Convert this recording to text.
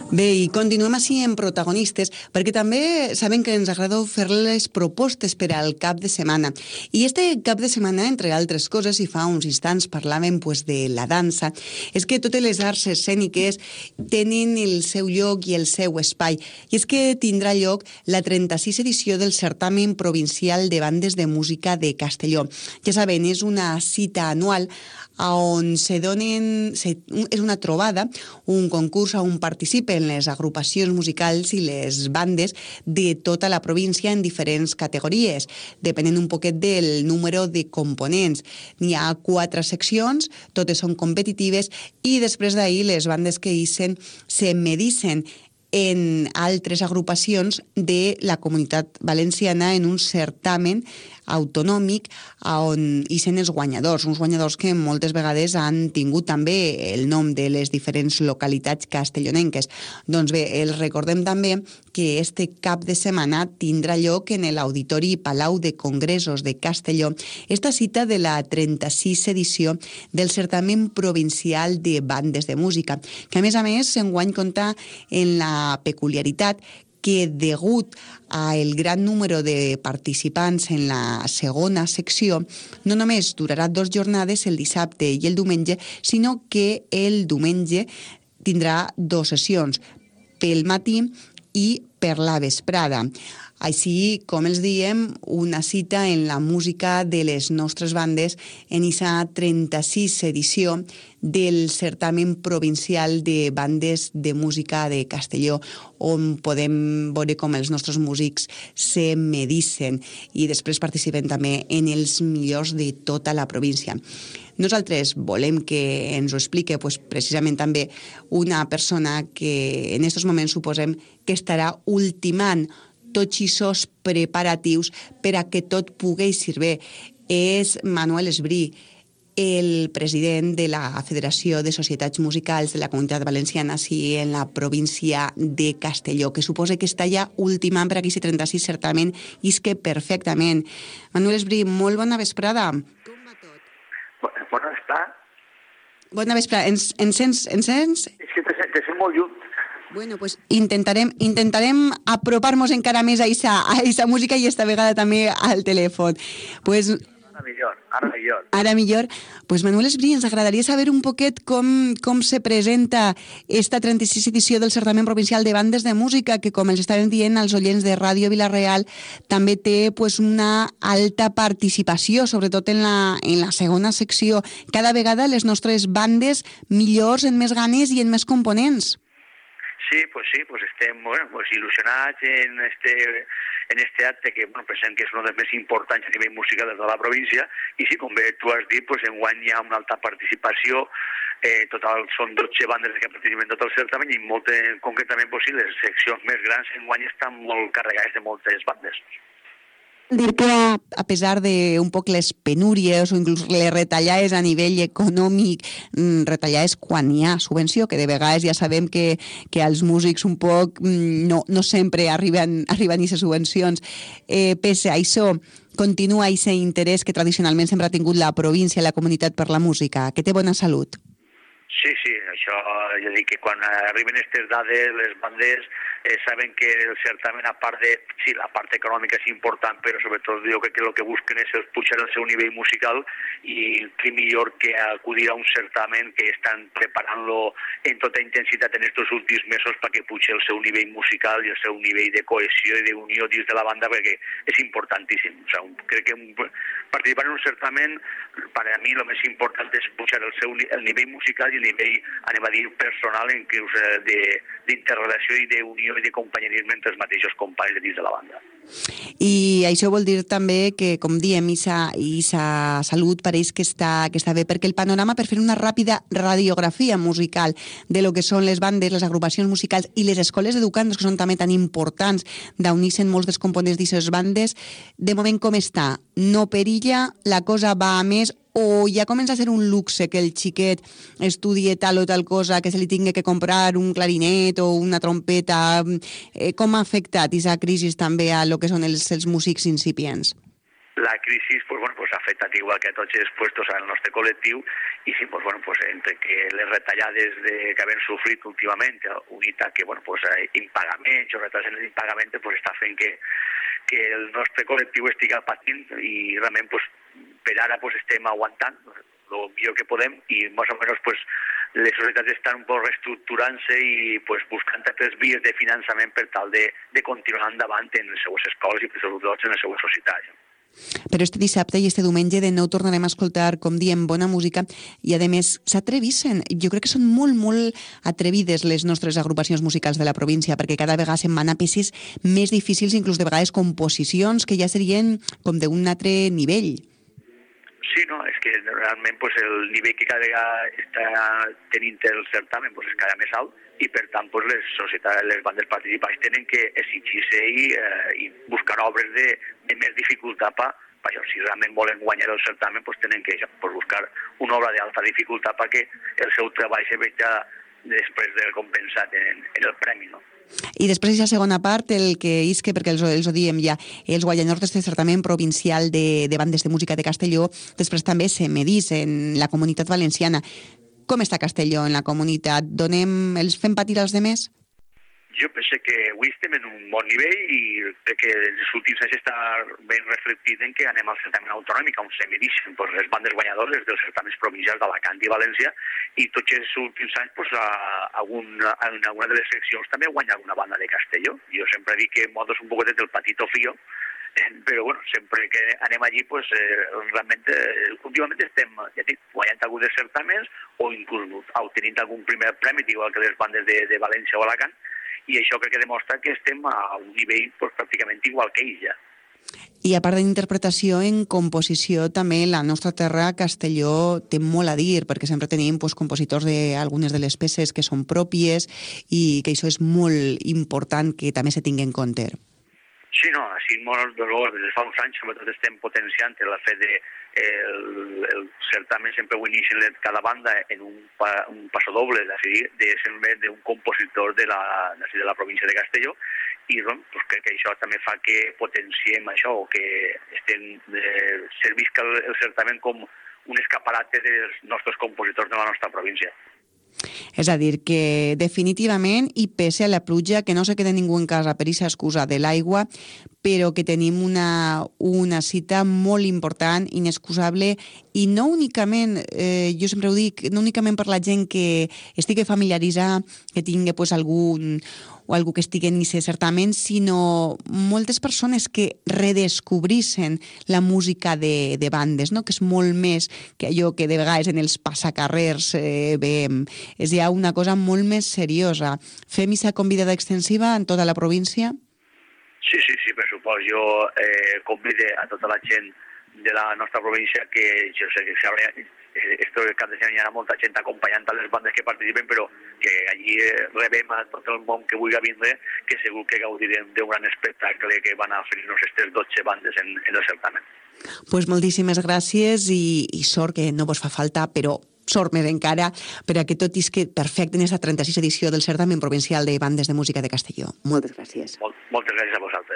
Bé, i continuem així en protagonistes, perquè també saben que ens agrada fer-les propostes per al cap de setmana. I este cap de setmana, entre altres coses, i fa uns instants parlàvem de la dansa, és que totes les arts escèniques tenen el seu lloc i el seu espai. I és que tindrà lloc la 36 edició del Certamen Provincial de Bandes de Música de Castelló. Ja saben, és una cita anual on és una trobada, un concurs on participen les agrupacions musicals i les bandes de tota la província en diferents categories, depenent un poquet del número de components. N'hi ha 4 seccions, totes són competitives, i després d'ahir les bandes que hissen se medissen en altres agrupacions de la Comunitat Valenciana en un certamen autonòmic on hi són els guanyadors, uns guanyadors que moltes vegades han tingut també el nom de les diferents localitats castellonenques. Doncs bé, els recordem també que este cap de setmana tindrà lloc en l'Auditori Palau de Congressos de Castelló esta cita de la 36 edició del Certamen Provincial de Bandes de Música, que a més enguany compta en la peculiaritat que degut al gran número de participants en la segona secció, no només durarà 2 jornades, el dissabte i el diumenge, sinó que el diumenge tindrà 2 sessions, pel matí i per la vesprada. Així, com els diem, una cita en la música de les nostres bandes en aquesta 36 edició del Certamen Provincial de Bandes de Música de Castelló, on podem veure com els nostres músics se medissen i després participen també en els millors de tota la província. Nosaltres volem que ens ho expliqui precisament també una persona que en aquests moments suposem que estarà ultimant tots aquests preparatius per a que tot pugui ser bé. És Manuel Esbrí, el president de la Federació de Societats Musicals de la Comunitat Valenciana i en la província de Castelló, que suposa que està ja ultimant per aquest 36 certamen i és que perfectament. Manuel Esbrí, molt bona vesprada. Com va tot? Bona vesprada. Bona vesprada. Ens sents? És que te sent molt lluny. Bueno, pues intentarem apropar-nos encara més a esa música i esta vegada també al telèfon. Pues Ara millor. Pues Manuel Esbrí, ens agradaria saber un poquet com se presenta esta 36 edició del Certamen Provincial de Bandes de Música, que, com els estàvem dient als oients de Ràdio Vila-real, també té una alta participació, sobretot en la segona secció. Cada vegada les nostres bandes millors, en més ganes i en més components. Sí, estem il·lusionats en este acte que pensem que és un dels més importants a nivell musical de la província, i sí, com bé tu has dit, enguany hi ha una alta participació, total són 12 bandes que participen en tot el certamen i concretament les seccions més grans enguany estan molt carregades de moltes bandes. Dir que a pesar de un poc les penúries o inclús les retallades a nivell econòmic, retallades quan hi ha subvenció, que de vegades ja sabem que els músics un poc no sempre arriben a aquestes subvencions, pese a això continua aquest interès que tradicionalment sempre ha tingut la província i la comunitat per la música, que té bona salut. Sí, això ja dic que quan arriben aquestes dades les bandes saben que el certamen, a part de... Sí, la part econòmica és important, però sobretot jo crec que el que busquen és pujar el seu nivell musical, i què millor que acudir a un certamen que estan preparant-lo en tota intensitat en aquests últims mesos perquè pugi el seu nivell musical i el seu nivell de cohesió i d'unió dins de la banda, perquè és importantíssim. O sigui, crec que participar en un certamen, per a mi el més important és pujar el nivell musical i el nivell, anem a dir, personal d'interrelació i d'unió i de companyerisme entre els mateixos companys de dins de la banda. I això vol dir també que, com diem, Isa Salut pareix que està bé, perquè el panorama, per fer una ràpida radiografia musical de lo que són les bandes, les agrupacions musicals i les escoles d'educandos, que són també tan importants d'unir-se molts dels components d'aquestes bandes, de moment com està? No perilla? La cosa va a més? O ja comença a ser un luxe que el xiquet estudie tal o tal cosa, que se li tingui que comprar un clarinet o una trompeta? Com ha afectat aquesta crisi també a lo que són els músics incipients? La crisi, pues, ha afectat igual que a tots els puestos al nostre col·lectiu i sí, pues, bueno, pues, entre que les retallades que hem sofrit últimament, unit a que bueno, pues, impagaments o retards en l'impagament, pues, està fent que el nostre col·lectiu estigui patint i realment pues, per ara pues, estem aguantant el millor que podem i més o menys pues, les societats estan un poc reestructurant-se i pues, buscant altres vies de finançament per tal de continuar endavant en les seues escoles i sobretot en les seues societats. Però este dissabte i este diumenge de nou tornarem a escoltar, com diem, bona música i, a més, s'atrevissen. Jo crec que són molt, molt atrevides les nostres agrupacions musicals de la província, perquè cada vegada se'n van a peces més difícils, inclús de vegades composicions que ja serien com d'un altre nivell. Sí, no, és que realment pues, el nivell que cada vegada està tenint el certamen pues, és cada més alt i per tant pues, les societats, les bandes participants tenen que exigir-se i buscar obres de més dificultat per això. Si realment volen guanyar el certamen pues, tenen que pues, buscar una obra d'alta dificultat perquè el seu treball se veja després de compensat en el premi, no? I després aquesta segona part, el que isque, perquè els ho diem ja, els guanyadors d'aquest certamen provincial de bandes de música de Castelló, després també se medís en la Comunitat Valenciana. Com està Castelló en la comunitat? Fem patir als demés? Jo penso que avui estem en un bon nivell i crec que els últims anys està ben reflectit en que anem al certamen autonòmic on se medixen pues, les bandes guanyadores dels certaments provincials d'Alacant i València i tots els últims anys pues, en alguna de les seccions també guanya alguna banda de Castelló. Jo sempre dic que modos un poquet del patito fío, però bueno, sempre que anem allí pues, realment últimament estem guanyant alguns dels certaments o inclús obtenint algun primer premi igual que les bandes de València o Alacant i això crec que demostra que estem a un nivell pues, pràcticament igual que ells ja. I a part d'interpretació, en composició també la nostra terra, Castelló, té molt a dir, perquè sempre tenim pues, compositors d'algunes de les peces que són pròpies i que això és molt important que també se tingui en compte. Sí, no, així molt des de fa uns anys sobretot estem potenciant el fet de el certamen sempre ho inicien cada banda en un passadoble d'un compositor de la província de Castelló i doncs, crec que això també fa que potenciem això o que servisca el certamen com un escaparate dels nostres compositors de la nostra província. És a dir, que definitivament, i pese a la pluja, que no se queda ningú en casa per aquesta excusa de l'aigua, però que tenim una cita molt important, inexcusable, i no únicament, jo sempre ho dic, no únicament per la gent que estigui familiaritzada, que tingui pues, algú que estigui en aquest certamen, sinó moltes persones que redescobrissen la música de bandes, no? Que és molt més que allò que de vegades en els passacarrers veiem. És ja una cosa molt més seriosa. Fem aquesta convidada extensiva en tota la província? Sí, per supost. Jo convido a tota la gent de la nostra província que jo sé que el cap de setmana hi ha molta gent acompanyant a les bandes que participen, però que allí rebem a tot el món que vulgui vindre, que segur que gaudirem d'un gran espectacle que van a oferir-nos aquestes 12 bandes en el certamen. Pues moltíssimes gràcies i sort que no vos fa falta, però sort més encara per a que tot isque perfecte en aquesta 36 edició del certamen provincial de bandes de música de Castelló. Moltes gràcies. Moltes gràcies a vosaltres.